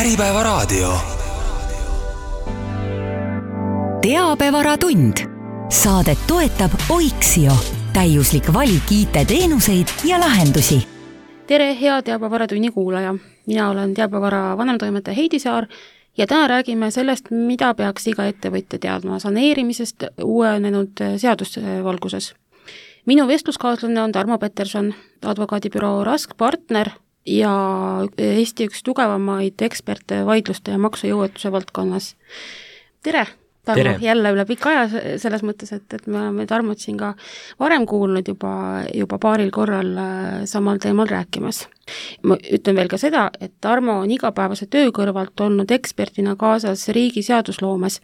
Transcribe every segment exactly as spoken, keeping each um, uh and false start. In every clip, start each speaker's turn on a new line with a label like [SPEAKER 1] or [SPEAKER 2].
[SPEAKER 1] Äripäevaraadio.
[SPEAKER 2] Teabevaratund. Saadet toetab Oiksio. Täiuslik valik I T-teenuseid ja lahendusi.
[SPEAKER 3] Tere, hea Teabevaраtunni kuulaja. Mina olen Teabevara vanemtoimetaja Heidi Saar ja täna räägime sellest, mida peaks iga ettevõtja teadma saneerimisest uuenenud seadusvalguses. Minu vestluskaaslane on Tarmo Peterson, advokaadibüroo Rask partner ja Eesti üks tugevamaid eksperte vaidluste ja maksujõuetuse valdkonnas. Tere, Tarmo, Tere. Jälle üle pikka aja selles mõttes, et, et me oleme Tarmot siin ka varem kuulnud juba, juba paaril korral samal teemal rääkimas. Ma ütlen veel ka seda, et Tarmo on igapäevase töö kõrvalt olnud ekspertina kaasas riigi seadusloomes.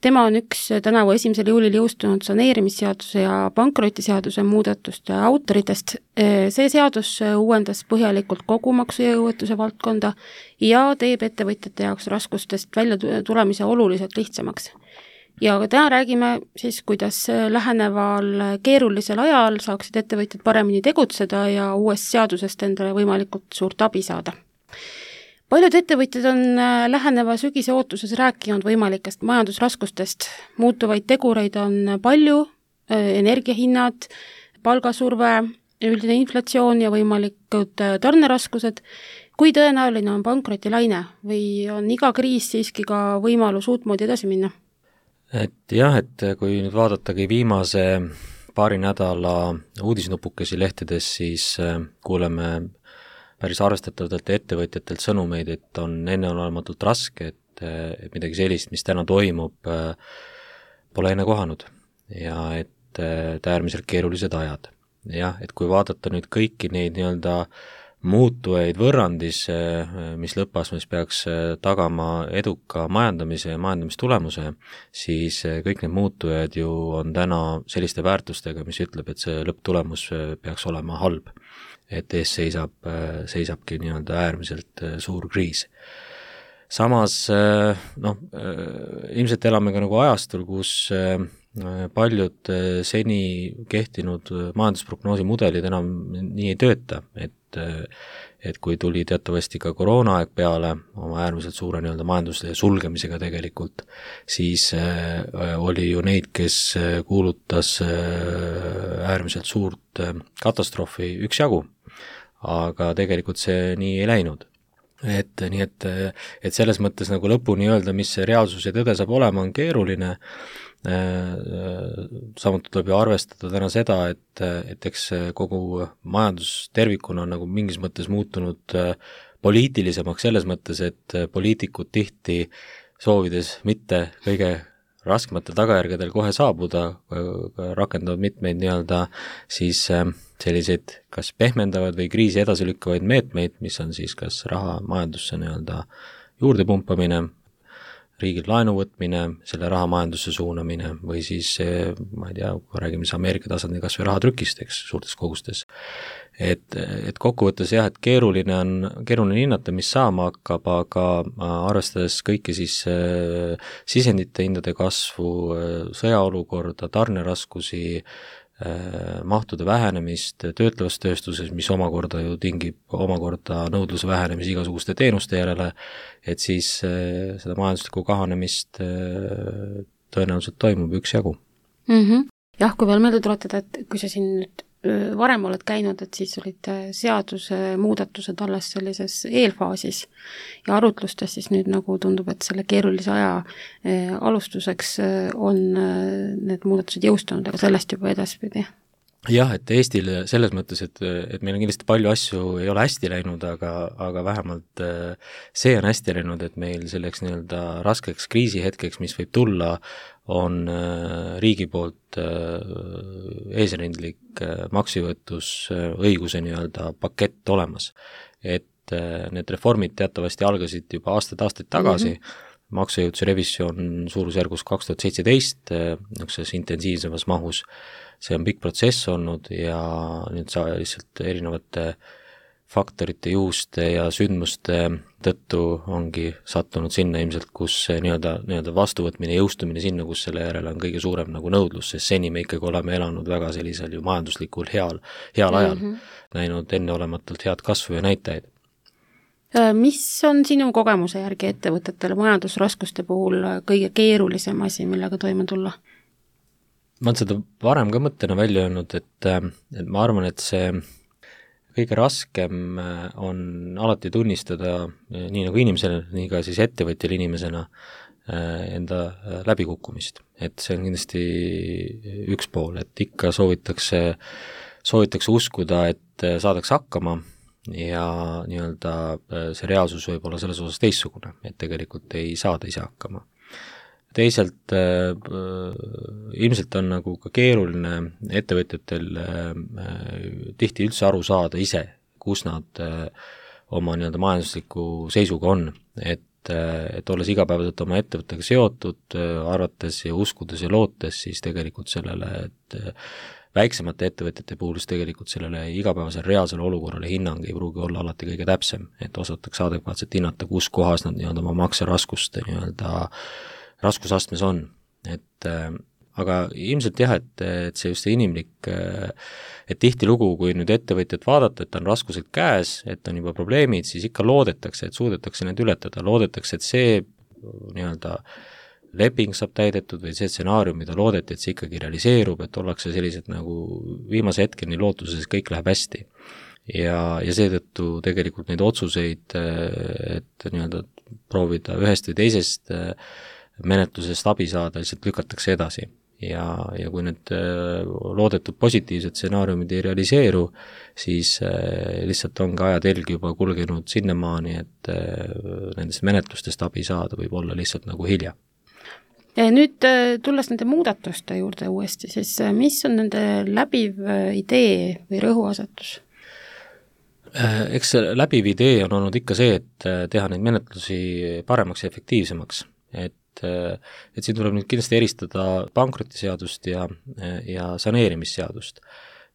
[SPEAKER 3] Tema on üks tänavu esimesel juulil jõustunud saneerimisseaduse ja pankrotiseaduse muudatuste autoritest. See seadus uuendas põhjalikult kogu maksujõuetuse valdkonda ja teeb ettevõtjate jaoks raskustest välja tulemise oluliselt lihtsamaks. Ja täna räägime siis, kuidas läheneval keerulisel ajal saaksid ettevõtjad paremini tegutseda ja uuest seadusest endale võimalikult suurt abi saada. Paljud ettevõtjad on läheneva sügise ootuses rääkinud võimalikest majandusraskustest. Muutuvaid tegureid on palju, energiahinnad, palgasurve, üldine inflatsioon ja võimalikud tarneraskused. Kui tõenäoline on pankrotilaine või on iga kriis siiski ka võimalus uutmoodi edasi minna?
[SPEAKER 4] Et jah, et kui nüüd vaadatagi viimase paari nädala uudisnupukesi lehtedes, siis kuuleme päris arvestatavalt ettevõtjatelt sõnumeid, et on enneolematult raske, et, et midagi sellist, mis täna toimub, pole enne kohanud ja et äärmiselt keerulised ajad. Jah, et kui vaadata nüüd kõiki neid nii-öelda muutujaid võrrandis, mis lõppastmes peaks tagama eduka majandamise ja majandamistulemuse, siis kõik need muutujad ju on täna selliste väärtustega, mis ütleb, et see lõpptulemus peaks olema halb. Et ees seisab, seisabki nii-öelda äärmiselt suur kriis. Samas, noh, ilmselt elame ka nagu ajastul, kus paljud seni kehtinud majandusprognoosi mudelid enam nii ei tööta, et, et kui tuli teatavasti ka koroonaaeg peale oma äärmiselt suure nii-öelda majanduse sulgemisega tegelikult, siis oli ju neid, kes kuulutas äärmiselt suurt katastroofi üksjagu, aga tegelikult see nii ei läinud. Et nii, et, et selles mõttes nagu lõpuni öelda, mis see reaalsus ja tõde saab olema, on keeruline. Samuti tuleb ju arvestada täna seda, et, et eks kogu majandus tervikuna on nagu mingis mõttes muutunud poliitilisemaks selles mõttes, et poliitikud tihti soovides mitte kõige raskematel tagajärgedel kohe saabuda, rakendavad mitmeid nii-öelda siis selliseid kas pehmendavad või kriisi edasilükkavaid meetmeid, mis on siis kas raha majandusse nii-öelda juurde pumpamine, riigil laenu võtmine, selle raha majandusse suunamine või siis, ma ei tea, kui räägime siis Ameerika tasandil kas või rahatrükist, eks, suurtes kogustes. Et, et kokkuvõttes jah, et keeruline on, keeruline hinnata, mis saama hakkab, aga arvestades kõiki siis äh, sisendite hindade kasvu, sõjaolukorda, tarneraskusi, mahtude vähenemist töötlevas tööstuses, mis omakorda ju tingib omakorda nõudluse vähenemisi igasuguste teenuste järele, et siis seda majanduslikku kahanemist tõenäoliselt toimub üksjagu.
[SPEAKER 3] Mm-hmm. Jah, kui veel meelde tuletada, et kui sa siin nüüd varem oled käinud, et siis olid seaduse muudatused alles sellises eelfaasis ja arutlustes siis nüüd nagu tundub, et selle keerulise aja alustuseks on need muudatused jõustunud, aga sellest juba edaspidi.
[SPEAKER 4] Jah, et Eestil selles mõttes, et, et meil on kindlasti palju asju ei ole hästi läinud, aga, aga vähemalt see on hästi läinud, et meil selleks nii-öelda raskeks kriisihetkeks, mis võib tulla, on riigi poolt eesrindlik maksujõuetusõiguse nii-öelda pakett olemas. Et need reformid teatavasti algasid juba aastad-aastaid tagasi, mm-hmm. maksujõutuse revisjon suurusjärgus kaks tuhat seitseteist, niisuguses intensiivsemas mahus. See on pikk protsess olnud ja nüüd sa lihtsalt erinevate faktorite, juhuste ja sündmuste tõttu ongi sattunud sinna ilmselt, kus nii-öelda, nii-öelda vastuvõtmine, jõustumine sinna, kus selle järele on kõige suurem nagu nõudlus, sest seni me ikkagi oleme elanud väga sellisel ju majanduslikul heal, heal ajal, mm-hmm. näinud enneolematult head kasvu ja näitajaid.
[SPEAKER 3] Mis on sinu kogemuse järgi ettevõtetele majandusraskuste puhul kõige keerulisem asi, millega toime tulla?
[SPEAKER 4] Ma olen seda varem ka mõttena välja öelnud, et, et ma arvan, et see kõige raskem on alati tunnistada nii nagu inimesele, nii ka siis ettevõtjal inimesena enda läbikukkumist. Et see on kindlasti üks pool, et ikka soovitakse, soovitakse uskuda, et saadakse hakkama ja nii-öelda see reaalsus võib olla selles osas teistsugune, et tegelikult ei saada ise hakkama. Teisalt äh, ilmselt on nagu ka keeruline ettevõtjatel äh, tihti üldse aru saada ise, kus nad äh, oma nii-öelda majandusliku seisuga on, et, äh, et olles igapäevaselt oma ettevõttega seotud, äh, arvates ja uskudes ja lootes, siis tegelikult sellele, et äh, väiksemate ettevõtjate puhul tegelikult sellele igapäevasele reaalsele olukorrale hinnang ei pruugi olla alati kõige täpsem, et osatakse adekvaatselt hinnata, kus kohas nad nii-öelda oma makseraskust nii-öelda raskusastmes on, et äh, aga ilmselt jah, et, et see just see inimlik, et tihtilugu, kui nüüd ettevõtjat vaadata, et on raskused käes, et on juba probleemid, siis ikka loodetakse, et suudetakse need ületada, loodetakse, et see nii-öelda leping saab täidetud või see stsenaarium, mida loodeti, et see ikkagi realiseerub, et ollakse sellised nagu viimase hetkeni lootuses, kõik läheb hästi. Ja, ja seetõttu tegelikult neid otsuseid, et nii-öelda proovida ühest või teisest menetlusest abi saada, lihtsalt lükatakse edasi. Ja, ja kui need loodetud positiivsed stsenaariumid ei realiseeru, siis lihtsalt on ka ajatelg juba kulgenud sinnamaani, et nendest menetlustest abi saada võib olla lihtsalt nagu hilja.
[SPEAKER 3] Ja nüüd tulles nende muudatuste juurde uuesti, siis mis on nende läbiv idee või rõhuasetus?
[SPEAKER 4] Eks läbiv idee on olnud ikka see, et teha neid menetlusi paremaks ja efektiivsemaks, et et siin tuleb nüüd kindlasti eristada pankrotiseadust ja, ja saneerimisseadust.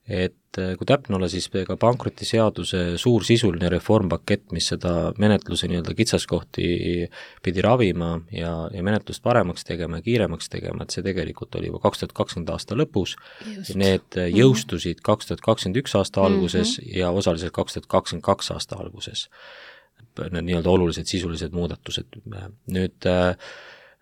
[SPEAKER 4] Et kui täpne olla, siis ka pankrotiseaduse suur sisuline reformpakett, mis seda menetluse nii-öelda kitsaskohti pidi ravima ja, ja menetlust paremaks tegema ja kiiremaks tegema, et see tegelikult oli juba kaks tuhat kakskümmend aasta lõpus. Need jõustusid kaks tuhat kakskümmend üks aasta alguses mm-hmm. ja osaliselt kaks tuhat kakskümmend kaks aasta alguses. Need nii-öelda olulised sisulised muudatused. Nüüd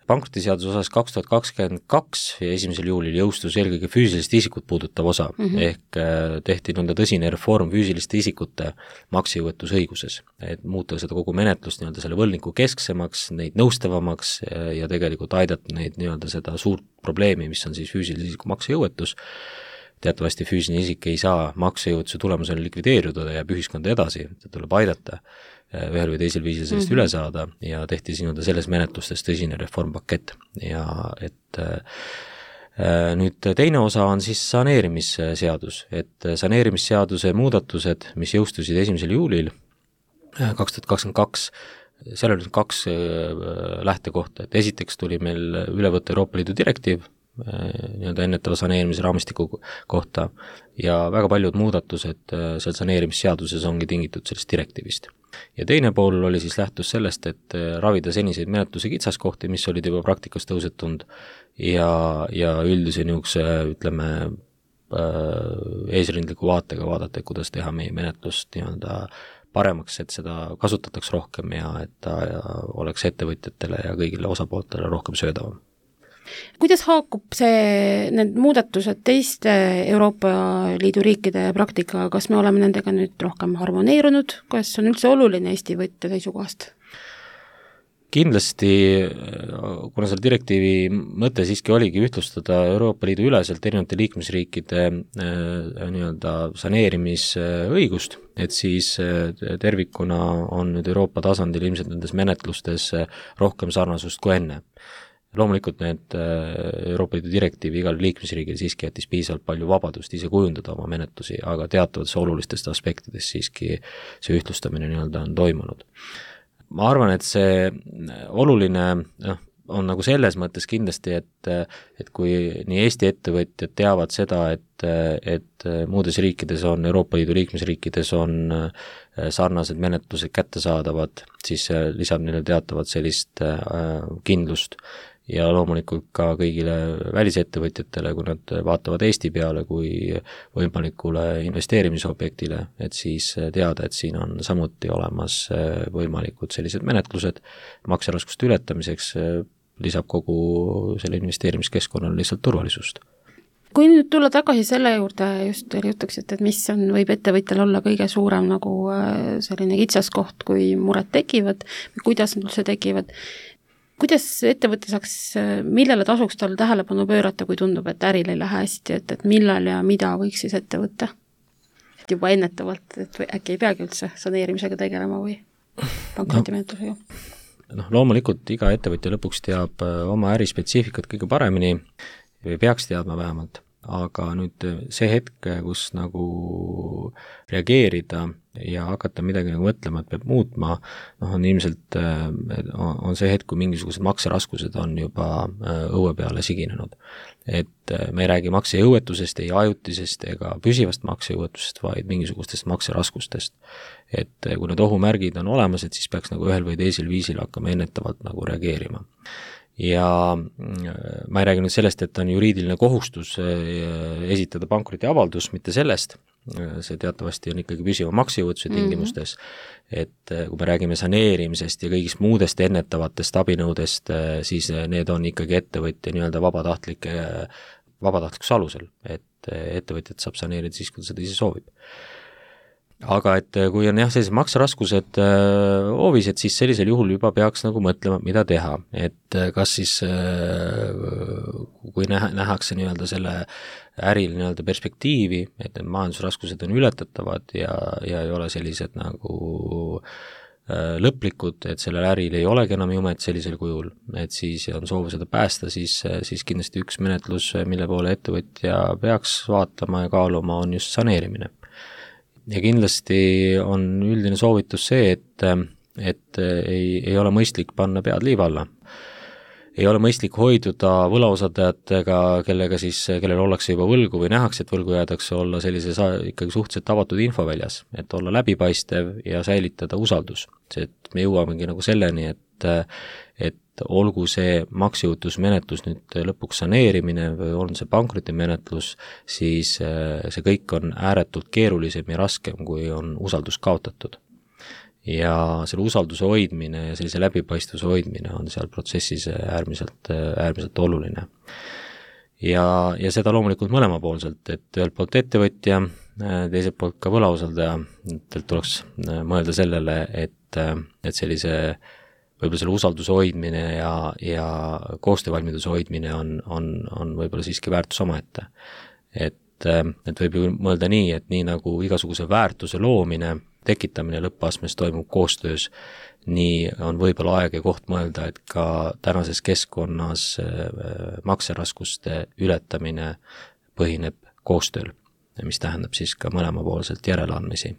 [SPEAKER 4] pankrotiseaduse osas kaks tuhat kakskümmend kaks ja esimesel juulil jõustus eelkõige füüsilist isikut puudutav osa, mm-hmm. ehk tehti nõnda tõsine reform füüsiliste isikute maksejõuetusõiguses, et muuta seda kogu menetlust nii-öelda selle võlniku kesksemaks, neid nõustavamaks ja tegelikult aidata neid nii-öelda seda suurt probleemi, mis on siis füüsilise isiku maksejõuetus. Teatavasti füüsiline isik ei saa maksejõuetuse tulemusel likvideeruda ja jääb ühiskonda edasi, et tuleb aidata ühel või teisel viisil sellest mm-hmm. üle saada ja tehti siin selles menetlustes tõsine reformpakett ja et äh, nüüd teine osa on siis saneerimisseadus, et saneerimisseaduse muudatused, mis jõustusid esimesel juulil kaks tuhat kakskümmend kaks, seal oli kaks äh, lähtekohta, et esiteks tuli meil üle võtta Euroopa Liidu direktiiv nii-öelda ennetava saneerimise raamistiku kohta ja väga paljud muudatused seal saneerimisseaduses ongi tingitud sellest direktiivist. Ja teine pool oli siis lähtus sellest, et ravida seniseid menetluse kitsaskohti, mis olid juba praktikas tõusetunud ja, ja üldise niisuguse, ütleme, eesrindliku vaatega vaadata, et kuidas teha meie menetlust nii-öelda paremaks, et seda kasutataks rohkem ja et ta oleks ettevõtjatele ja kõigile osapooltele rohkem söödavam.
[SPEAKER 3] Kuidas haakub see, need muudatused teiste Euroopa Liidu riikide praktikaga, kas me oleme nendega nüüd rohkem harmoneerunud, kas on üldse oluline Eesti võtja seisukohast?
[SPEAKER 4] Kindlasti, kuna selle direktiivi mõte siiski oligi ühtlustada Euroopa Liidu üleselt erinevate liikmesriikide nii-öelda saneerimisõigust, et siis tervikuna on nüüd Euroopa tasandil ilmselt nendes menetlustes rohkem sarnasust kui enne. Loomulikult need Euroopa Liidu direktiivi igal liikmesriigil siiski jättis piisavalt palju vabadust ise kujundada oma menetlusi, aga teatavates olulistest aspektidest siiski see ühtlustamine nii-öelda on toimunud. Ma arvan, et see oluline noh, on nagu selles mõttes kindlasti, et, et kui nii Eesti ettevõtjad teavad seda, et, et muudes riikides on, Euroopa Liidu liikmesriikides on sarnased menetlused kättesaadavad, siis lisab neile teatavat sellist kindlust. ja loomulikult ka kõigile välisettevõtjatele, kui nad vaatavad Eesti peale kui võimalikule investeerimisobjektile, et siis teada, et siin on samuti olemas võimalikud sellised menetlused makseraskuste ületamiseks, lisab kogu selle investeerimiskeskkonnale lihtsalt turvalisust.
[SPEAKER 3] Kui nüüd tulla tagasi selle juurde, just teile jutuks, et, et mis on, võib ettevõtjal olla kõige suurem nagu selline kitsaskoht, kui mured tekivad, kuidas nad üldse tekivad, kuidas ettevõte saaks, millele tasuks tal tähelepanu pöörata, kui tundub, et äril ei lähe hästi, et, et millal ja mida võiks siis ette võtta? Et juba ennetavalt, et või äkki ei peagi üldse saneerimisega tegelema või pankrotimenetlusega?
[SPEAKER 4] Noh, loomulikult iga ettevõtja lõpuks teab oma ärispetsiifikat kõige paremini või peaks teadma vähemalt, aga nüüd see hetk, kus nagu reageerida ja hakata midagi nagu mõtlema, et peab muutma, noh on ilmselt, on see hetk, kui mingisugused makseraskused on juba õue peale siginenud. Et me ei räägi maksejõuetusest, ei ajutisest ega püsivast maksejõuetusest, vaid mingisugustest makseraskustest. Et kui need ohumärgid on olemas, et siis peaks nagu ühel või teisel viisil hakkama ennetavalt nagu reageerima. Ja ma ei räägi nüüd sellest, et on juriidiline kohustus esitada pankrotiavaldus, mitte sellest, see teatavasti on ikkagi püsiva maksejõuetuse tingimustes, et kui me räägime saneerimisest ja kõigist muudest ennetavatest abinõudest, siis need on ikkagi ettevõtja nii-öelda vabatahtlike, vabatahtlikus alusel, et ettevõtjat saab saneerida siis, kui ta seda ise soovib. Aga et kui on jah, sellised makseraskused äh, hoovis, et siis sellisel juhul juba peaks nagu mõtlema, mida teha, et kas siis äh, kui näha, nähakse nii-öelda selle äril nii-öelda perspektiivi, et need majandusraskused on ületatavad ja, ja ei ole sellised nagu äh, lõplikud, et sellel äril ei olegi enam jumet sellisel kujul, et siis on soov seda päästa, siis, siis kindlasti üks menetlus, mille poole ettevõtja peaks vaatama ja kaaluma, on just saneerimine. Ja kindlasti on üldine soovitus see, et, et ei, ei ole mõistlik panna pead liiva alla. Ei ole mõistlik hoiduda võlausaldajatega, kellega siis, kellel ollakse juba võlgu või nähakse, et võlgu jäädakse olla sellises ikkagi suhteliselt avatud infoväljas, et olla läbipaistev ja säilitada usaldus. See, et me jõuamegi nagu selleni, et, et olgu see maksejõutusmenetlus nüüd lõpuks saneerimine või on see pankrotimenetlus, siis see kõik on ääretult keerulisem ja raskem, kui on usaldus kaotatud. Ja selle usalduse hoidmine ja sellise läbipaistvuse hoidmine on seal protsessis äärmiselt, äärmiselt oluline. Ja, ja seda loomulikult mõlemapoolselt, et ühelt poolt ettevõtja, teiselt poolt ka võlausaldaja, et tuleks mõelda sellele, et, et sellise võib-olla selle usalduse hoidmine ja, ja koostöövalmiduse hoidmine on, on, on võib-olla siiski väärtus omaette. Et, et võib ju mõelda nii, et nii nagu igasuguse väärtuse loomine, tekitamine lõppastmes toimub koostöös, nii on võib-olla aeg ja koht mõelda, et ka tänases keskkonnas makseraskuste ületamine põhineb koostööl, mis tähendab siis ka mõlemapoolselt järeleandmisi.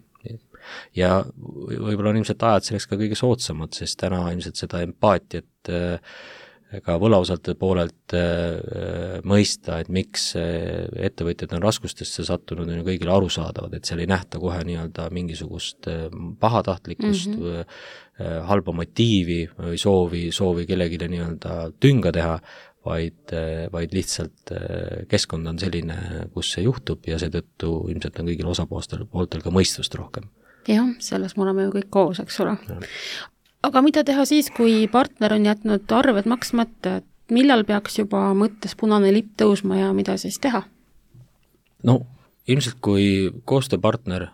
[SPEAKER 4] Ja võib-olla on ilmselt ajad selleks ka kõige soodsamad, sest täna ilmselt seda empaatiat ka võlausaldajate poolelt mõista, et miks ettevõtjad on raskustesse sattunud, on ju kõigile arusaadavad, et seal ei nähta kohe nii-öelda mingisugust pahatahtlikkust mm, -hmm. halba motiivi või soovi, soovi kellelegi nii-öelda tünga teha, vaid, vaid lihtsalt keskkond on selline, kus see juhtub ja seetõttu ilmselt on kõigil osapooltel pooltel ka mõistust rohkem.
[SPEAKER 3] Jah, selles me oleme ju kõik koos, eks ole. Aga mida teha siis, kui partner on jätnud arved maksmata, et millal peaks juba mõttes punane lipp tõusma ja mida siis teha?
[SPEAKER 4] No ilmselt kui koostööpartner,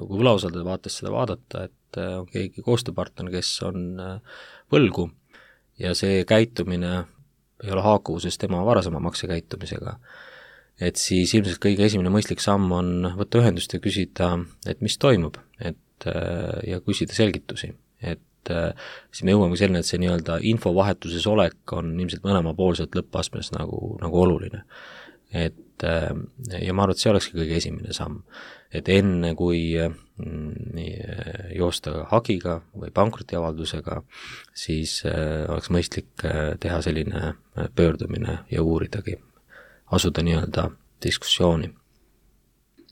[SPEAKER 4] kui võlausaldaja vaates seda vaadata, et on keegi koostööpartner, kes on võlgu ja see käitumine ei ole haakuvuses tema varasema maksekäitumisega, et siis ilmselt kõige esimene mõistlik samm on võtta ühendust ja küsida, et mis toimub, et ja küsida selgitusi, et siis me jõuame selleni, et see nii-öelda infovahetuses olek on ilmselt mõlemapoolselt lõppastmes nagu, nagu oluline. Et ja ma arvan, et see olekski kõige esimene samm, et enne kui joosta hagiga või pankrotiavaldusega, siis oleks mõistlik teha selline pöördumine ja uuridagi, asuda nii-öelda diskussiooni.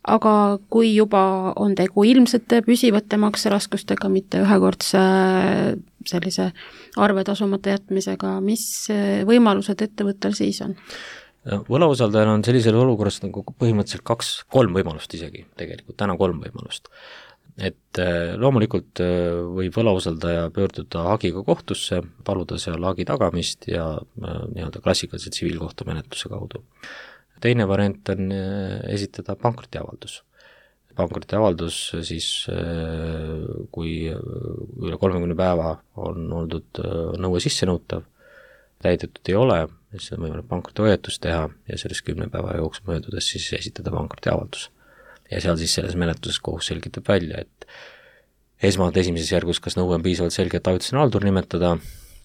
[SPEAKER 3] Aga kui juba on tegu ilmsete püsivate makseraskustega, mitte ühekordse sellise arve tasumata jätmisega, mis võimalused ettevõttel siis on?
[SPEAKER 4] Võlausaldajal on sellisel olukorras nagu põhimõtteliselt kaks, kolm võimalust isegi, tegelikult täna kolm võimalust. Et loomulikult võib võlausaldaja pöörduda hagiga kohtusse, paluda seal hagi tagamist ja nii-öelda klassikalise tsiviilkohtumenetluse kaudu. Teine variant on esitada pankrotiavaldus. Pankrotiavaldus siis, kui üle kolmekümne päeva on oldud nõue sissenõutav, täidetud ei ole, siis on võimalik pankrotihoiatus teha ja sellest kümne päeva jooksul möödudes siis esitada pankrotiavaldus. Ja seal siis selles menetluses kohus selgitab välja, et esmalt esimeses järgus, kas nõue on piisavalt selge, et ajutisena haldur nimetada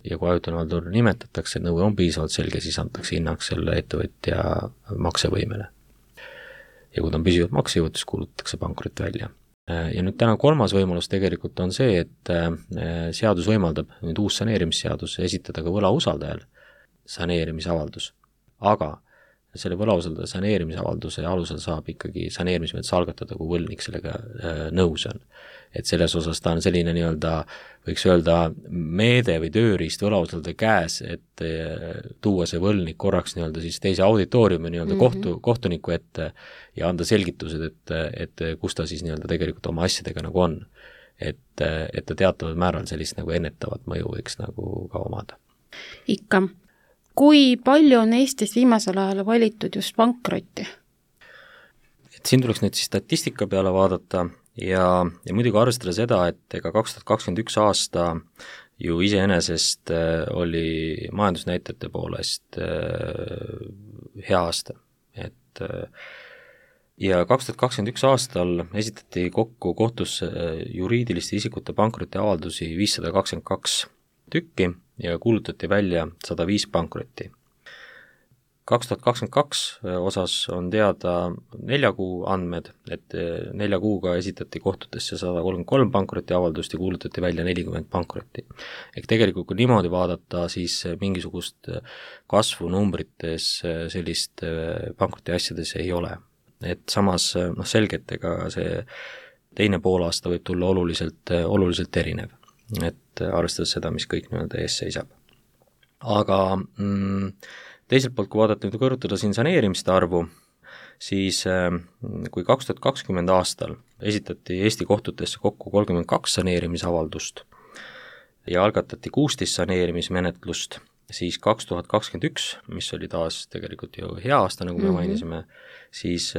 [SPEAKER 4] ja kui ajutisena haldur nimetatakse, nõue on piisavalt selge, siis antakse hinnaks selle ettevõtja maksevõimele. Ja kui ta on püsivalt maksejõud, siis kuulutatakse pankrot välja. Ja nüüd täna kolmas võimalus tegelikult on see, et seadus võimaldab, nüüd uus saneerimisseadus, esitada ka võlausaldajal saneerimisavaldus. Aga selle võlausaldaja saneerimisavalduse alusel saab ikkagi saneerimismenetlus algatada, kui võlgnik sellega nõus on. Et selles osas ta on selline nii-öelda, võiks öelda, meede või tööriist võlausaldaja käes, et tuua see võlgnik korraks nii-öelda siis teise auditooriumi nii-öelda mm-hmm. kohtu, kohtuniku ette ja anda selgitused, et, et kus ta siis nii-öelda tegelikult oma asjadega nagu on. Et, et ta teataval määral sellist nagu ennetavat mõju võiks nagu ka omada.
[SPEAKER 3] Ikka. Kui palju on Eestis viimasel ajal valitud just pankrotti?
[SPEAKER 4] Et siin tuleks nüüd siis statistika peale vaadata ja, ja muidugi arvestada seda, et ega kaks tuhat kakskümmend üks aasta ju iseenesest oli majandusnäitajate poolest hea aasta. Et, ja kaks tuhat kakskümmend üks aastal esitati kokku kohtusse juriidiliste isikute pankrotiavaldusi viissada kakskümmend kaks tükki ja kuulutati välja sada viis pankrotti. kaks tuhat kakskümmend kaks osas on teada nelja kuu andmed, et nelja kuuga esitati kohtutesse sada kolmkümmend kolm pankrotiavaldust ja kuulutati välja nelikümmend pankrotti. Ehk tegelikult kui niimoodi vaadata, siis mingisugust kasvu numbrites sellist pankrotiasjades ei ole. Et samas noh, selgelt ega see teine poolaasta võib tulla oluliselt, oluliselt erinev. Et arvestades seda, mis kõik nii-öelda ees seisab. Aga mm, teiselt poolt, kui vaadata nüüd kõrvutada siin saneerimiste arvu, siis kui kaks tuhat kakskümmend aastal esitati Eesti kohtutesse kokku kolmkümmend kaks saneerimisavaldust ja algatati kuusteist saneerimismenetlust, siis kaks tuhat kakskümmend üks, mis oli taas tegelikult ju hea aasta, nagu me mm-hmm. mainisime, siis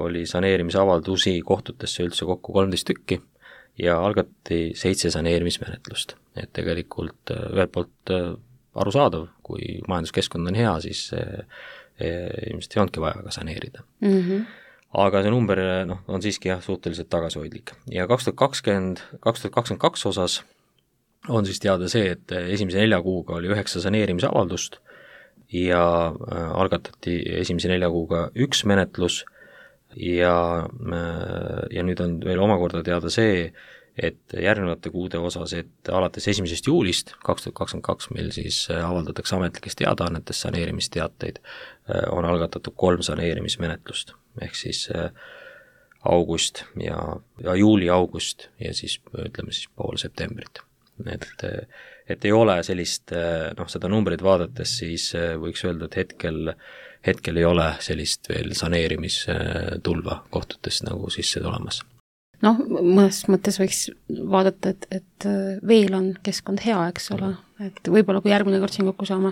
[SPEAKER 4] oli saneerimisavaldusi kohtutesse üldse kokku kolmteist tükki, ja algati seitse saneerimismenetlust. Et tegelikult ühelt poolt arusaadav, kui majanduskeskkond on hea, siis ilmselt ei olnudki vaja ka saneerida. Mm-hmm. Aga see number no, on siiski jah, suhteliselt tagasihoidlik. Ja kaks tuhat kakskümmend, kaks tuhat kakskümmend kaks osas on siis teada see, et esimese nelja kuuga oli üheksa saneerimisavaldust ja algatati esimese nelja kuuga üks menetlus ja, ja nüüd on veel omakorda teada see, et järgnevate kuude osas, et alates esimesest juulist kaks tuhat kakskümmend kaks, mil siis avaldatakse ametlikest teadaannetes saneerimisteateid, on algatatud kolm saneerimismenetlust, ehk siis august ja, ja juuli-august ja siis ütleme siis pool septembrit. Et, et ei ole sellist, noh seda numbrit vaadates, siis võiks öelda, et hetkel hetkel ei ole sellist veel saneerimistulva kohtutes nagu sisse tulemas.
[SPEAKER 3] Noh, mõnes mõttes võiks vaadata, et, et veel on keskkond hea, eks ole, et võib-olla kui järgmine kord siin kokku saame,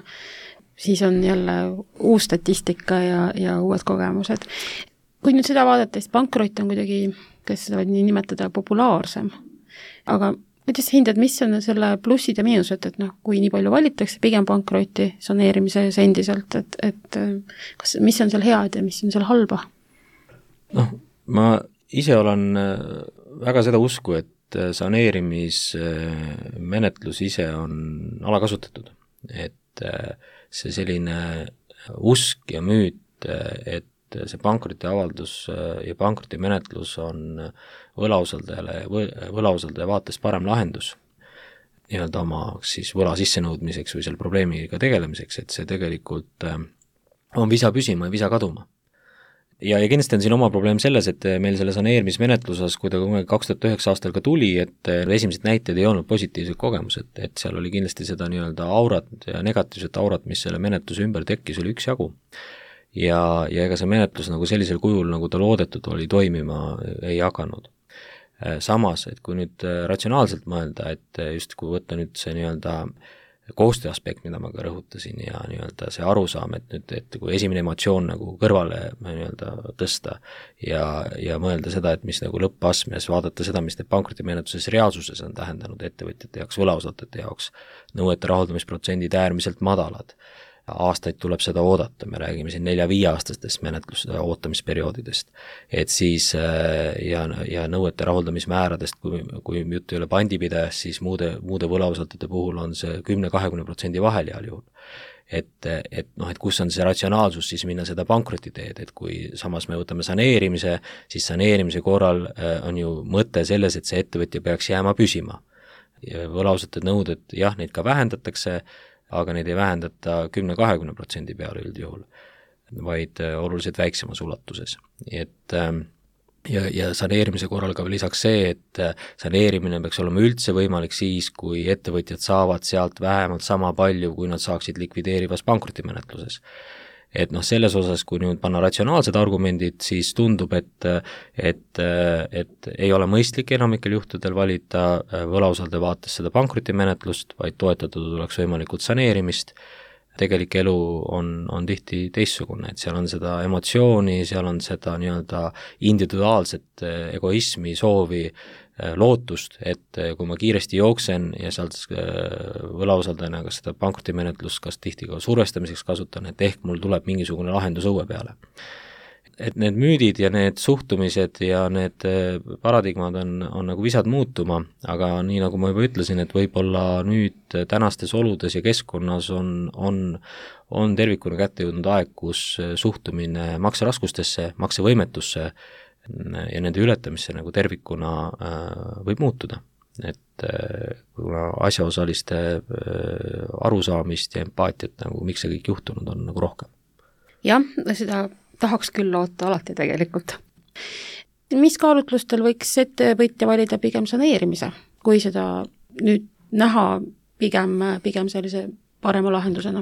[SPEAKER 3] siis on jälle uus statistika ja, ja uued kogemused. Kui nüüd seda vaadata, siis pankrot on kuidagi, kes seda võib nii nimetada, populaarsem, aga kuidas hindad, mis on selle plussid ja miinused, et noh, kui nii palju valitakse pigem pankroti saneerimises endiselt, et, et kas, mis on seal head ja mis on seal halba?
[SPEAKER 4] Noh, ma ise olen väga seda usku, et saneerimismenetlus ise on alakasutatud. Et see selline usk ja müüt, et see pankrotiavaldus ja pankrotimenetlus on võlausaldajale, võlausaldaja vaates parem lahendus nii-öelda oma siis võla sissenõudmiseks või selle probleemiga tegelemiseks, et see tegelikult on visa püsima ja visa kaduma. ja, ja kindlasti on siin oma probleem selles, et meil selle saneerimismenetluses, kui ta kaks tuhat üheksa aastal ka tuli, et esimesed näited ei olnud positiivsed kogemused, et seal oli kindlasti seda nii-öelda aurat ja negatiivset aurat, mis selle menetluse ümber tekkis, oli üksjagu. Ja, ja ega see menetlus nagu sellisel kujul, nagu ta loodetud oli, toimima ei hakanud. Samas, et kui nüüd ratsionaalselt mõelda, et just kui võtta nüüd see nii-öelda koostöö aspekt, mida ma ka rõhutasin ja nii-öelda see arusaam, et nüüd, et kui esimene emotsioon nagu kõrvale nii-öelda tõsta ja, ja mõelda seda, et mis nagu lõppasmes, vaadata seda, mis need pankrotimenetluses reaalsuses on tähendanud ettevõtjate jaoks, võlausaldajate jaoks, nõuete rahuldamisprotsendid äärmiselt madalad, aastaid tuleb seda oodata, me räägime siin nelja-viie aastastest menetlus ootamisperioodidest, et siis ja, ja nõuete rahuldamismääradest, kui, kui jutt ei ole pandipidajast, siis muude, muude võlausaldajate puhul on see kümne-kahekümne protsendi vahel heal juhul. Et, et noh, et kus on see ratsionaalsus siis minna seda pankroti teed, et kui samas me võtame saneerimise, siis saneerimise korral on ju mõte selles, et see ettevõtja peaks jääma püsima. Võlausaldajate nõuded, jah, neid ka vähendatakse, aga neid ei vähendata kümne-kahekümne protsendi peale üldjuhul, vaid oluliselt väiksemas ulatuses. Et, ja, ja saneerimise korral ka lisaks see, et saneerimine peaks olema üldse võimalik siis, kui ettevõtjad saavad sealt vähemalt sama palju, kui nad saaksid likvideerivas pankrotimenetluses. Et noh, selles osas, kui nüüd panna ratsionaalsed argumendid, siis tundub, et, et, et ei ole mõistlik enamikel juhtudel valida võlausaldaja vaates seda pankrotimenetlust, vaid toetada tuleks võimalikult saneerimist. Tegelik elu on, on tihti teistsugune, et seal on seda emotsiooni, seal on seda nii-öelda individuaalset egoismi, soovi, lootust, et kui ma kiiresti jooksen ja sealt võlausaldajana kas seda pankrotimenetlust kas tihti ka survestamiseks kasutan, et ehk mul tuleb mingisugune lahendus õue peale. Et need müüdid ja need suhtumised ja need paradigmad on, on nagu visad muutuma, aga nii nagu ma juba ütlesin, et võib-olla nüüd tänastes oludes ja keskkonnas on, on, on tervikuna kätte jõudnud aeg, kus suhtumine makseraskustesse, maksevõimetusse ja nende ületamisse nagu tervikuna äh, võib muutuda. Et äh, kuna asjaosaliste äh, arusaamist ja empaatiat, nagu miks see kõik juhtunud on, nagu rohkem.
[SPEAKER 3] Jah, seda tahaks küll loota alati tegelikult. Mis kaalutlustel võiks ettevõtja valida pigem saneerimise, kui seda nüüd näha pigem, pigem sellise parema lahendusena?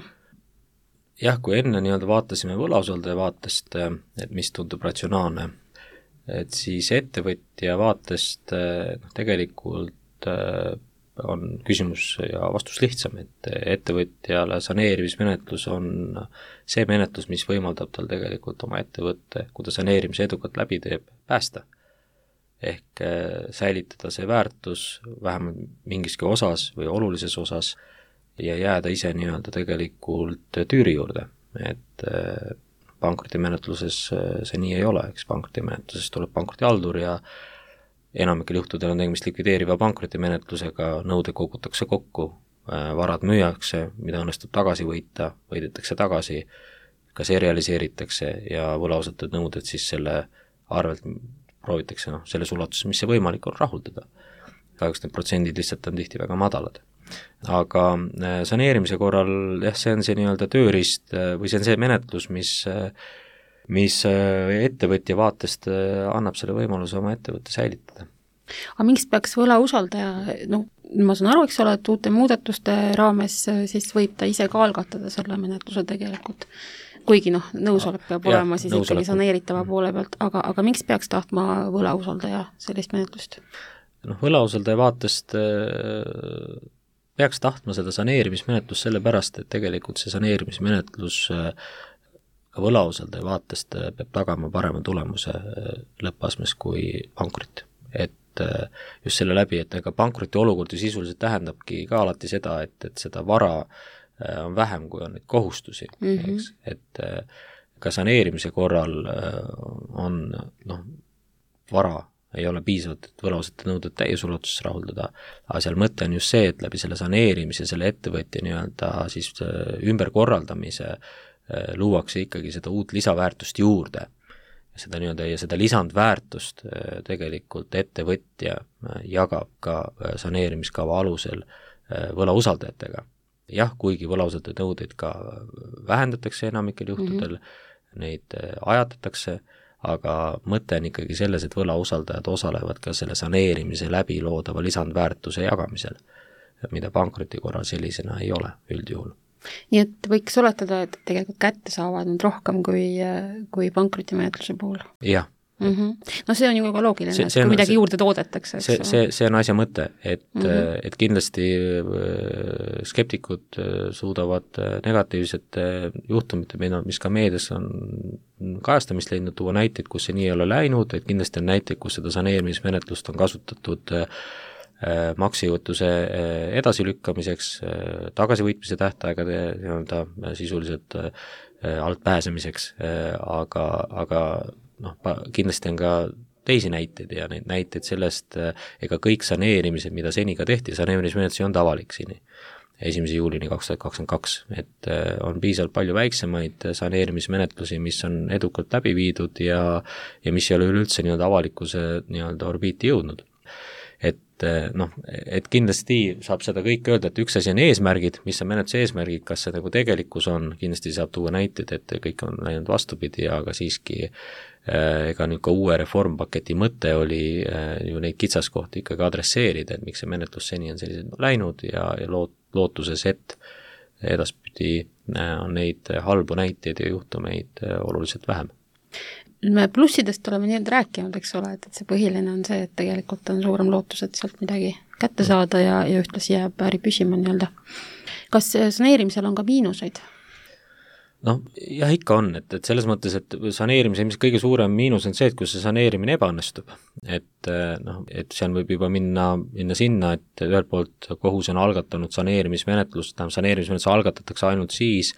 [SPEAKER 4] Jah, kui enne nii-öelda vaatasime võlausaldaja vaatest, et mis tundub ratsionaalne, et siis ettevõtja vaatest no, tegelikult on küsimus ja vastus lihtsam, et ettevõtjale saneerimismenetlus on see menetlus, mis võimaldab tal tegelikult oma ettevõtte, kui ta saneerimise edukalt läbi teeb, päästa. Ehk säilitada see väärtus vähemalt mingiski osas või olulises osas ja jääda ise nii-öelda tegelikult tüüri juurde, et pankrotimenetluses see nii ei ole, eks pankrotimenetluses tuleb pankrotihaldur ja enamikel juhtudel on tegemist likvideeriva pankrotimenetlusega, nõude kogutakse kokku, varad müüakse, mida õnnestub tagasi võita, võidetakse tagasi, kas realiseeritakse ja võlausaldajad nõuded siis selle arvelt proovitakse noh, selles ulatuses, mis see võimalik on rahuldada. Kahjuks need protsendid lihtsalt on tihti väga madalad. Aga saneerimise korral, jah, see on see nii-öelda tööriist või see on see menetlus, mis, mis ettevõtja vaatest annab selle võimaluse oma ettevõtte säilitada.
[SPEAKER 3] Aga miks peaks võlausaldaja, noh, ma saan aru, eks ole, et uute muudatuste raames siis võib ta ise ka algatada selle menetluse tegelikult, kuigi noh, nõusolek peab ja, olema siis ikkagi saneeritava poole pealt, aga, aga miks peaks tahtma võlausaldaja sellist menetlust?
[SPEAKER 4] Noh, võlausaldaja vaatest peaks tahtma seda saneerimismenetlus sellepärast, et tegelikult see saneerimismenetlus ka võlausaldaja vaatest peab tagama parema tulemuse lõppasmes kui pankrot. Et just selle läbi, et ega pankroti olukord ju sisuliselt tähendabki ka alati seda, et, et seda vara on vähem, kui on neid kohustusi, mm -hmm. eks, et ka saneerimise korral on noh, vara ei ole piisavalt, et võlausaldajate nõuded täies ulatuses rahuldada, aga seal mõte on just see, et läbi selle saneerimise, selle ettevõtja nii-öelda siis ümberkorraldamise luuakse ikkagi seda uut lisaväärtust juurde. Seda nii-öelda ja seda lisandväärtust tegelikult ettevõtja jagab ka saneerimiskava alusel võlausaldajatega. Jah, kuigi võlausaldajate nõudeid ka vähendatakse enamikel juhtudel, mm -hmm. neid ajatatakse, aga mõte on ikkagi selles, et võlausaldajad osalevad ka selle saneerimise läbi loodava lisandväärtuse jagamisel, mida pankroti korral sellisena ei ole üldjuhul.
[SPEAKER 3] Nii et võiks oletada, et tegelikult kätte saavad nüüd rohkem kui, kui pankrotimenetluse puhul?
[SPEAKER 4] Jah.
[SPEAKER 3] Mm-hmm. No see on ju ka loogiline,
[SPEAKER 4] see,
[SPEAKER 3] et kui midagi see, juurde toodetakse.
[SPEAKER 4] See, see, see on asja mõte, et, mm-hmm. et kindlasti skeptikud suudavad negatiivsete juhtumite, mis ka meedias on kajastamist leidnud, tuua näiteid, kus see nii ei ole läinud, et kindlasti on näiteid, kus seda saneerimismenetlust on kasutatud maksejõuetuse edasilükkamiseks, tagasivõitmise tähtaegade nii-öelda sisuliselt alt pääsemiseks, aga, aga noh, kindlasti on ka teisi näiteid ja neid näiteid sellest, ega kõik saneerimised, mida seni ka tehti, saneerimismenetlus ei olnud avalik seni, esimese juulini kaks tuhat kakskümmend kaks, et on piisavalt palju väiksemaid saneerimismenetlusi, mis on edukalt läbi viidud ja, ja mis ei ole üleüldse nii-öelda avalikkuse nii-öelda orbiiti jõudnud. Et noh, et kindlasti saab seda kõik öelda, et üks asi on eesmärgid, mis on menetluse eesmärgid, kas see nagu tegelikkus on, kindlasti saab tuua näiteid, et kõik on läinud vastupidi, aga siiski ega nüüd ka uue reformpaketi mõte oli ju neid kitsaskohti ikkagi adresseerida, et miks see menetlus seni on sellised läinud ja, ja loot, lootuses, et edaspidi on neid halbu näiteid ja juhtumeid oluliselt vähem.
[SPEAKER 3] Me plussidest oleme nii-öelda rääkinud, eks ole, et, et see põhiline on see, et tegelikult on suurem lootus, et sealt midagi kätte saada ja, ja ühtlasi jääb äri püsima nii-öelda. Kas saneerimisel on ka miinuseid?
[SPEAKER 4] Noh, jah, ikka on, et, et selles mõttes, et saneerimise ilmselt kõige suurem miinus on see, et kui see saneerimine ebaõnnestub, et noh, et seal võib juba minna, minna sinna, et ühelt poolt kohus on algatanud saneerimismenetlust, tähendab saneerimismenetlus algatatakse ainult siis,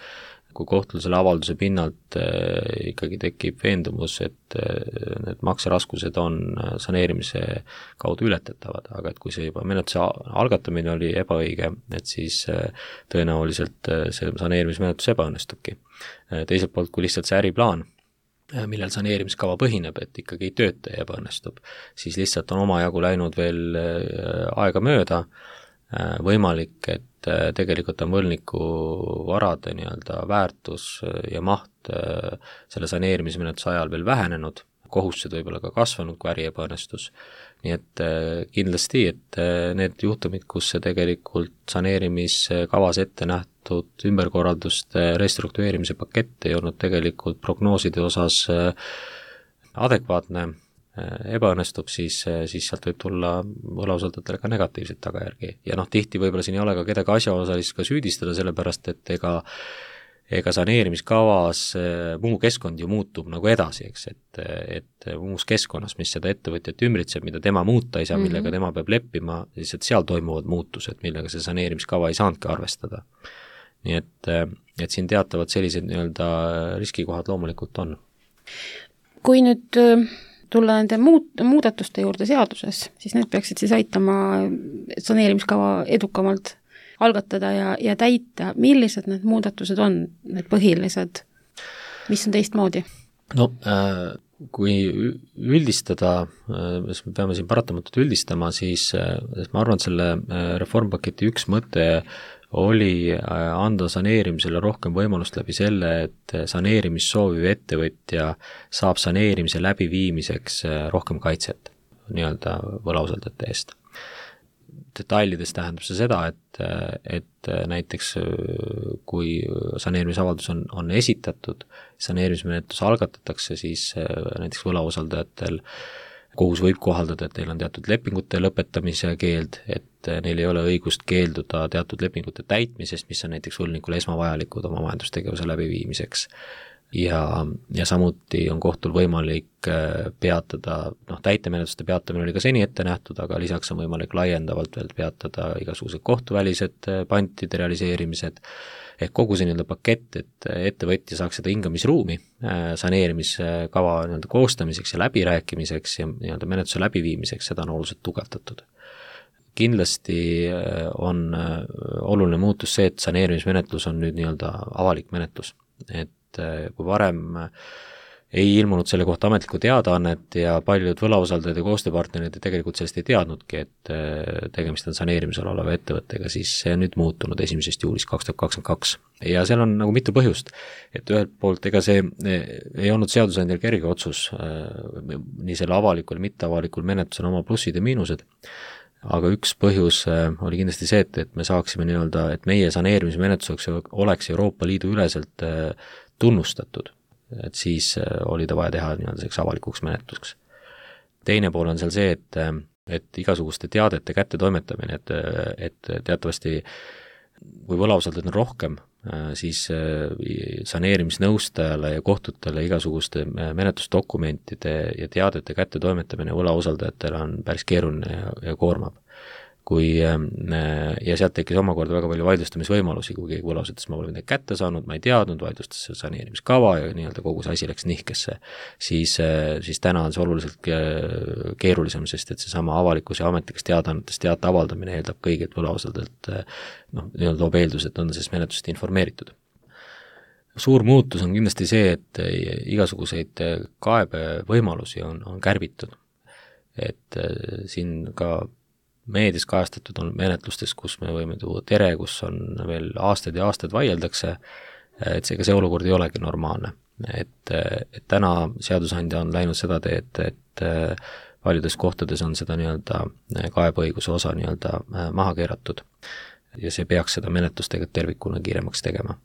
[SPEAKER 4] kui kohtul selle avalduse pinnalt äh, ikkagi tekib veendumus, et äh, need makseraskused on saneerimise kaudu ületatavad, aga et kui see juba menetluse algatamine oli ebaõige, et siis äh, tõenäoliselt äh, see saneerimismenetlus ebaõnnestubki. Äh, teiselt poolt, kui lihtsalt see äriplaan, äh, millel saneerimiskava põhineb, et ikkagi ei tööta ja ebaõnnestub, siis lihtsalt on omajagu läinud veel äh, aega mööda, äh, võimalik, et tegelikult on võlniku varade nii-öelda väärtus ja maht selle saneerimismenetluse ajal veel vähenenud, kohustused võib-olla ka kasvanud, kui äri ebaõnnestus. Nii et kindlasti, et need juhtumid, kus see tegelikult saneerimiskavas ette nähtud ümberkorralduste restruktureerimise pakett ei olnud tegelikult prognooside osas adekvaatne, ebaõnnestub, siis, siis sealt võib tulla võlausaldajatele ka negatiivseid tagajärgi. Ja noh, tihti võib-olla siin ei ole ka kedagi asjaosalist ka süüdistada, sellepärast et ega, ega saneerimiskavas muu keskkond ju muutub nagu edasi, eks, et, et muus keskkonnas, mis seda ettevõtjat ümbritseb, mida tema muuta ei saa, millega tema peab leppima, siis et seal toimuvad muutused, millega see saneerimiskava ei saanudki arvestada. Nii et, et siin teatavad sellised nii-öelda riskikohad loomulikult on.
[SPEAKER 3] Kui nüüd tulla nende muud, muudatuste juurde seaduses, siis need peaksid siis aitama saneerimiskava edukamalt algatada ja, ja täita. Millised need muudatused on, need põhilised, mis on teistmoodi?
[SPEAKER 4] No äh, kui üldistada, äh, me peame siin paratamatult üldistama, siis äh, ma arvan, et selle äh, reformpaketi üks mõte oli anda saneerimisele rohkem võimalust läbi selle, et saneerimist sooviv ettevõtja saab saneerimise läbiviimiseks rohkem kaitset nii-öelda võlausaldajate eest. Detailides tähendab see seda, et, et näiteks kui saneerimisavaldus on, on esitatud, saneerimismenetlus algatatakse, siis näiteks võlausaldajatel kohus võib kohaldada, et neil on teatud lepingute lõpetamise keeld, et neil ei ole õigust keelduda teatud lepingute täitmisest, mis on näiteks võlnikule esmavajalikud oma majandustegevuse läbiviimiseks. Ja, ja samuti on kohtul võimalik peatada, noh, täitemenetluste peatamine oli ka seni ette nähtud, aga lisaks on võimalik laiendavalt veel peatada igasugused kohtuvälised pantide realiseerimised, ehk kogu see nii-öelda pakett, et ettevõtja saaks seda hingamisruumi saneerimiskava nii-öelda koostamiseks ja läbirääkimiseks ja nii-öelda menetluse läbiviimiseks, seda on oluliselt tugevdatud. Kindlasti on oluline muutus see, et saneerimismenetlus on nüüd nii-öelda avalik menetlus, et kui varem ei ilmunud selle kohta ametlikku teadaannet ja paljud võlausaldajad ja koostööpartnerid tegelikult sellest ei teadnudki, et tegemist on saneerimisel oleva ettevõttega, siis see on nüüd muutunud esimesest juulist kaks tuhat kakskümmend kaks. Ja seal on nagu mitu põhjust, et ühelt poolt ega see ei olnud seadusandjal kerge otsus, nii selle avalikul ja mitteavalikul menetlusel oma plussid ja miinused, aga üks põhjus oli kindlasti see, et, et me saaksime nii-öelda, et meie saneerimismenetluseks oleks Euroopa Liidu üleselt tunnustatud, et siis oli ta vaja teha nii-öelda selleks avalikuks menetluseks. Teine pool on seal see, et, et igasuguste teadete kättetoimetamine, et, et teatavasti kui võlausaldajad on rohkem, siis saneerimisnõustajale ja kohtutele igasuguste menetlusdokumentide ja teadete kättetoimetamine võlausaldajatele on päris keeruline ja, ja koormab. Kui, ja sealt tekkis omakorda väga palju vaidlustamisvõimalusi, kui keegi võlaus ütles, ma pole midagi kätte saanud, ma ei teadnud, vaidlustas saneerimiskava ja nii-öelda kogu see asi läks nihkesse, siis, siis täna on see oluliselt keerulisem, sest et seesama avalikus ja ametlikes teadaannetes teate avaldamine eeldab kõigilt võlausaldajalt, noh, nii-öelda loob eeldus, et on sellest menetlusest informeeritud. Suur muutus on kindlasti see, et igasuguseid kaebevõimalusi on, on kärbitud, et siin ka meedias kajastatud on menetlustes, kus me võime tuua tere, kus on veel aastaid ja aastaid vaieldakse, et see, see olukord ei olegi normaalne. Et, et täna seadusandja on läinud seda teed, et paljudes kohtades on seda nii-öelda kaebeõiguse osa nii-öelda maha keeratud ja see peaks seda menetlust tegelikult tervikuna kiiremaks tegema.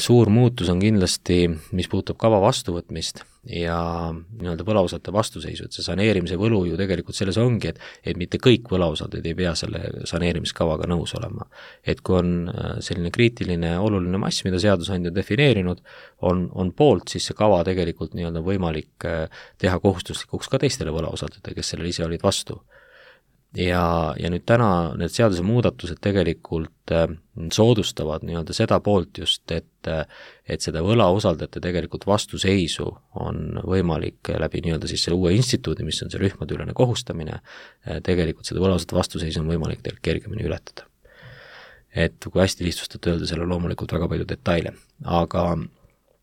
[SPEAKER 4] Suur muutus on kindlasti, mis puutub kava vastuvõtmist ja nii-öelda võlausaldajate vastuseisu, et see saneerimise võlu ju tegelikult selles ongi, et, et mitte kõik võlausaldajad ei pea selle saneerimiskavaga nõus olema. Et kui on selline kriitiline oluline mass, mida seadusandja defineerinud, on, on poolt, siis see kava tegelikult nii-öelda võimalik teha kohustuslikuks ka teistele võlausaldajatele, kes sellele ise olid vastu. Ja, ja nüüd täna need seaduse muudatused tegelikult soodustavad nii-öelda seda poolt just, et, et seda võlausaldajate tegelikult vastuseisu on võimalik läbi nii-öelda siis selle uue instituudi, mis on see rühmadeülene kohustamine, tegelikult seda võlausaldajate vastuseisu on võimalik tegelikult kergemini ületada. Et kui hästi lihtsustada öelda, seal on loomulikult väga palju detaile, aga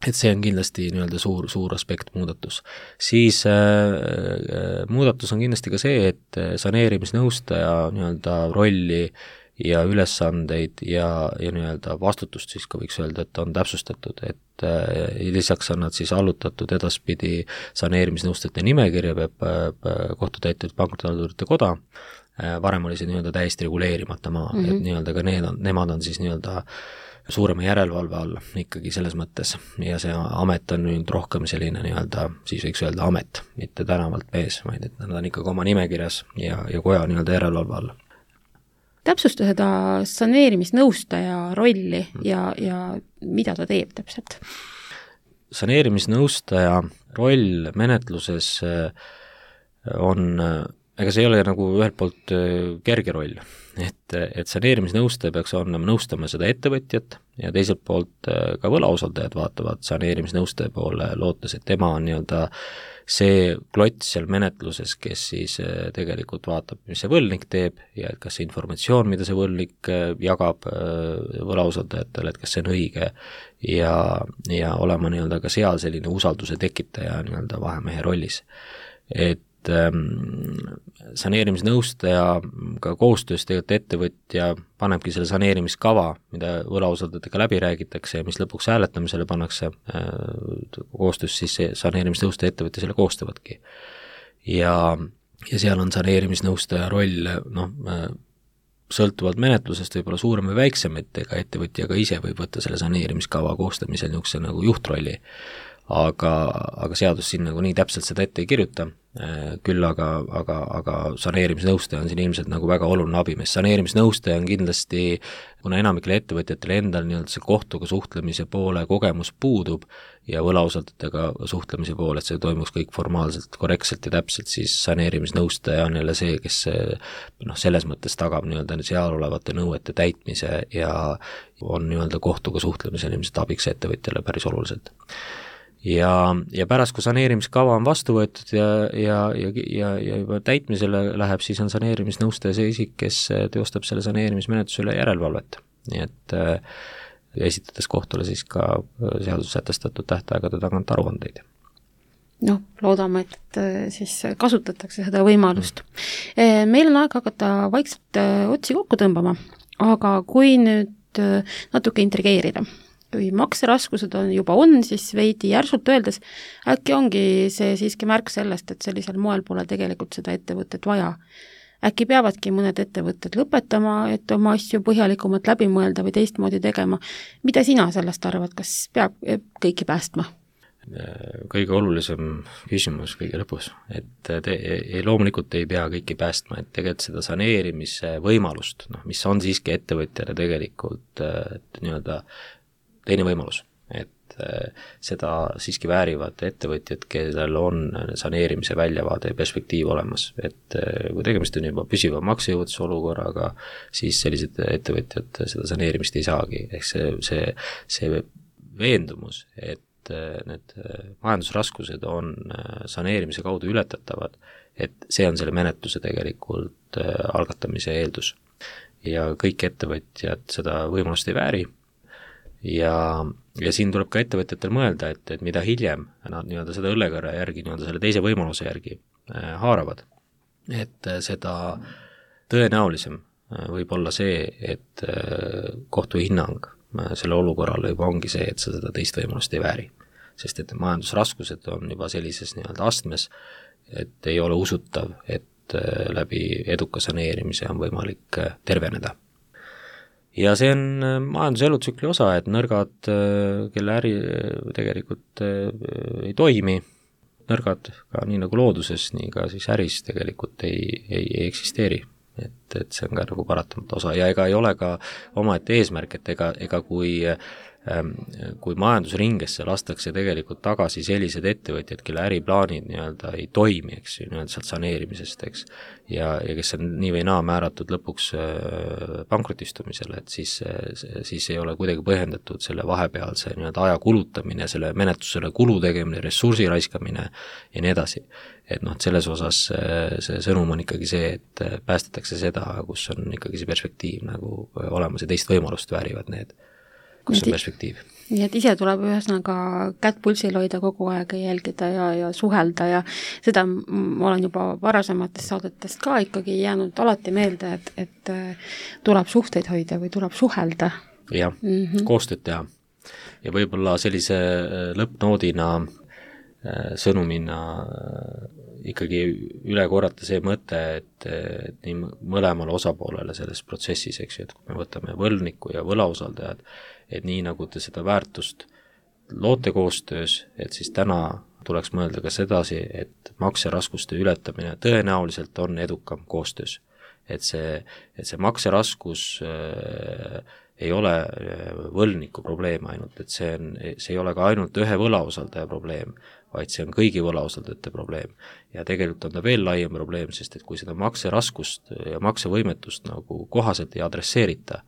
[SPEAKER 4] et see on kindlasti nii-öelda suur, suur aspekt muudatus. Siis äh, muudatus on kindlasti ka see, et saneerimisnõustaja nii-öelda rolli ja ülesandeid ja, ja nii-öelda vastutust siis ka võiks öelda, et on täpsustatud, et äh, lisaks on nad siis allutatud edaspidi saneerimisnõustajate nimekirja, peab kohtutäiturid pankrotihaldurite koda, äh, varem oli see nii-öelda täiesti reguleerimata maa, mm-hmm. et nii-öelda ka need on, nemad on siis nii-öelda suurema järelevalve all ikkagi selles mõttes ja see amet on nüüd rohkem selline nii-öelda, siis võiks öelda amet, mitte tänavalt mees, vaid et nad on ikkagi oma nimekirjas ja, ja koja nii-öelda järelevalve all.
[SPEAKER 3] Täpsusta seda saneerimisnõustaja rolli ja, ja mida ta teeb täpselt?
[SPEAKER 4] Saneerimisnõustaja roll menetluses on, ega see ei ole nagu ühelt poolt kerge roll, et, et saneerimisnõustaja peaks olema nõustama seda ettevõtjat ja teiselt poolt ka võlausaldajad vaatavad saneerimisnõustaja poole, lootes, et tema on nii-öelda see klots seal menetluses, kes siis tegelikult vaatab, mis see võlgnik teeb ja et kas see informatsioon, mida see võlgnik jagab võlausaldajatele, et kas see on õige ja, ja olema nii-öelda ka seal selline usalduse tekitaja nii-öelda vahemehe rollis. Et saneerimisnõustaja ka koostöös tegelikult ettevõtja panebki selle saneerimiskava, mida võlausaldajatega läbi räägitakse ja mis lõpuks hääletamisele pannakse, koostöös siis saneerimisnõustaja ettevõtja selle koostavadki. Ja, ja seal on saneerimisnõustaja roll, noh, sõltuvalt menetlusest võib-olla suurem või väiksem, et ega ettevõtja ka ise võib võtta selle saneerimiskava koostamisel niisuguse nagu juhtrolli. Aga, aga seadus siin nagu nii täpselt seda ette ei kirjuta, küll aga, aga, aga saneerimisnõustaja on siin ilmselt nagu väga oluline abimees. Saneerimisnõustaja on kindlasti, kuna enamikele ettevõtjatele endal nii-öelda see kohtuga suhtlemise poole kogemus puudub ja võlausaldajatega suhtlemise poole, et see toimuks kõik formaalselt, korrektselt ja täpselt, siis saneerimisnõustaja on jälle see, kes noh, selles mõttes tagab nii-öelda seal olevate nõuete täitmise ja on nii-öelda kohtuga suhtlemisel ilmselt abiks ettevõtjale päris oluliselt. Ja, ja pärast, kui saneerimiskava on vastu võetud ja, ja, ja, ja, ja juba täitmisele läheb, siis on saneerimisnõustaja see isik, kes teostab selle saneerimismenetlusele järelevalvet. Nii et äh, esitades kohtule siis ka seaduses sätestatud tähtaegade tagant aruandeid.
[SPEAKER 3] noh, loodame, et siis kasutatakse seda võimalust. Meil on aeg hakata vaikselt otsi kokku tõmbama, aga kui nüüd natuke intrigeerida, kui makseraskused on juba on, siis veidi järsult öeldes, äkki ongi see siiski märk sellest, et sellisel moel pole tegelikult seda ettevõtet vaja. Äkki peavadki mõned ettevõtted lõpetama, et oma asju põhjalikumalt läbi mõelda või teistmoodi tegema. Mida sina sellest arvad, kas peab kõiki päästma?
[SPEAKER 4] Kõige olulisem küsimus kõige lõpus, et te, loomulikult ei pea kõiki päästma, et tegelikult seda saneerimise võimalust, noh, mis on siiski ettevõtjale tegelikult nii-öelda teine võimalus, et seda siiski väärivad ettevõtjad, kellel on saneerimise väljavaade ja perspektiiv olemas, et kui tegemist on juba püsiva maksejõuetuse olukorraga, siis sellised ettevõtjad seda saneerimist ei saagi, ehk see, see, see veendumus, et need majandusraskused on saneerimise kaudu ületatavad, et see on selle menetluse tegelikult algatamise eeldus. Ja kõik ettevõtjad seda võimalust ei vääri ja, ja siin tuleb ka ettevõtjatel mõelda, et, et mida hiljem nad nii-öelda seda õllekõrre järgi, nii-öelda selle teise võimaluse järgi haaravad, et seda tõenäolisem võib olla see, et kohtu hinnang selle olukorrale juba ongi see, et sa seda teist võimalust ei vääri. Sest et majandusraskused on juba sellises nii-öelda astmes, et ei ole usutav, et läbi eduka saneerimise on võimalik terveneda. Ja see on majanduse elutsükli osa, et nõrgad, kelle äri tegelikult ei toimi, nõrgad ka nii nagu looduses, nii ka siis äris tegelikult ei, ei, ei eksisteeri. Et, et see on ka nagu paratamata osa ja ega ei ole ka omaette eesmärk, et ega, ega kui, ähm, kui majandusringesse lastakse tegelikult tagasi sellised ettevõtjad, kelle äriplaanid nii-öelda ei toimi, eks ju, nii-öelda sealt saneerimisest, eks, ja, ja kes on nii või naa määratud lõpuks äh, pankrotistumisele, et siis, siis ei ole kuidagi põhjendatud selle vahepealse nii-öelda aja kulutamine, selle menetlusele kulu tegemine, ressursi raiskamine ja nii edasi. Et noh, et selles osas see sõnum on ikkagi see, et päästetakse seda, kus on ikkagi see perspektiiv nagu olemas ja teist võimalust väärivad need, kus on perspektiiv.
[SPEAKER 3] Nii et ise tuleb ühesõnaga kätt pulsil hoida kogu aeg ja jälgida ja, ja suhelda ja seda ma olen juba varasematest saadetest ka ikkagi jäänud alati meelde, et, et tuleb suhteid hoida või tuleb suhelda.
[SPEAKER 4] Jah, mm-hmm. koostööd teha. Ja võib-olla sellise lõppnoodina sõnumina ikkagi üle korrata see mõte, et, et nii mõlemale osapoolele selles protsessis, eks ju, et kui me võtame võlniku ja võlausaldajad, et nii nagu te seda väärtust loote koostöös, et siis täna tuleks mõelda ka sedasi, et makseraskuste ületamine tõenäoliselt on edukam koostöös. Et see, et see makseraskus äh, ei ole võlniku probleem ainult, et see, on, see ei ole ka ainult ühe võlausaldaja probleem, vaid see on kõigi võlausaldajate probleem. Ja tegelikult on ta veel laiem probleem, sest et kui seda makseraskust ja maksevõimetust nagu kohaselt ei adresseerita,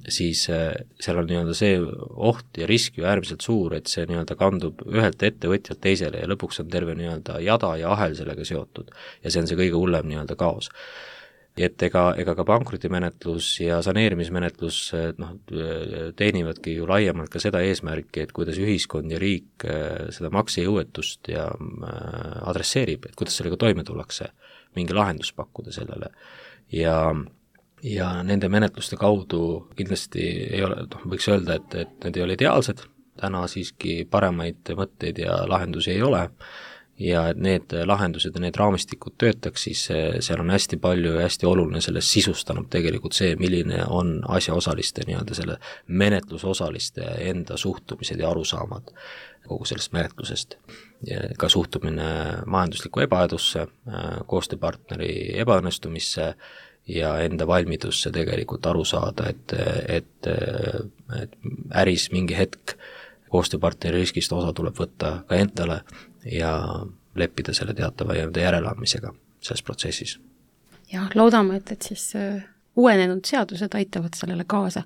[SPEAKER 4] siis seal on nii-öelda see oht ja risk ju äärmiselt suur, et see nii-öelda kandub ühelt ettevõtjalt teisele ja lõpuks on terve nii-öelda jada ja ahel sellega seotud. Ja see on see kõige hullem nii-öelda kaos. Et ega, ega ka pankrotimenetlus ja saneerimismenetlus noh, teenivadki ju laiemalt ka seda eesmärki, et kuidas ühiskond ja riik seda maksejõuetust ja adresseerib, et kuidas sellega toime tullakse, mingi lahendus pakkuda sellele. Ja, ja nende menetluste kaudu kindlasti ei ole, noh, võiks öelda, et, et need ei ole ideaalsed, täna siiski paremaid mõtteid ja lahendusi ei ole, ja et need lahendused ja need raamistikud töötaks, siis seal on hästi palju ja hästi oluline sellest sisustanud tegelikult see, milline on asjaosaliste nii-öelda selle menetlusosaliste enda suhtumised ja arusaamad kogu sellest menetlusest. Ja ka suhtumine majanduslikku ebaedusse, koostööpartneri ebaõnnestumisse ja enda valmidusse tegelikult aru saada, et, et, et äris mingi hetk koostööpartneri riskist osa tuleb võtta ka endale ja leppida selle teatava järeleandmisega selles protsessis.
[SPEAKER 3] Ja loodame, et, et siis uuenenud seadused aitavad sellele kaasa.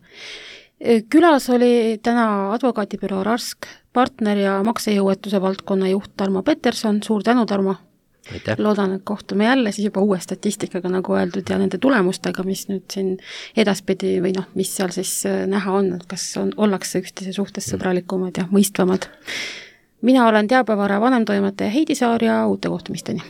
[SPEAKER 3] Külas oli täna advokaadibüroo Rask partner ja maksejõuetuse valdkonna juht Tarmo Peterson. Suur tänu, Tarmo!
[SPEAKER 4] Aitäh.
[SPEAKER 3] Loodan, et kohtume jälle siis juba uue statistikaga, nagu öeldud, ja nende tulemustega, mis nüüd siin edaspidi või noh, mis seal siis näha on, et kas on, ollakse üksteise suhtes sõbralikumad ja mõistvamad. mina olen teabevara vanemtoimetaja Heidi Saar ja uute kohtumisteni!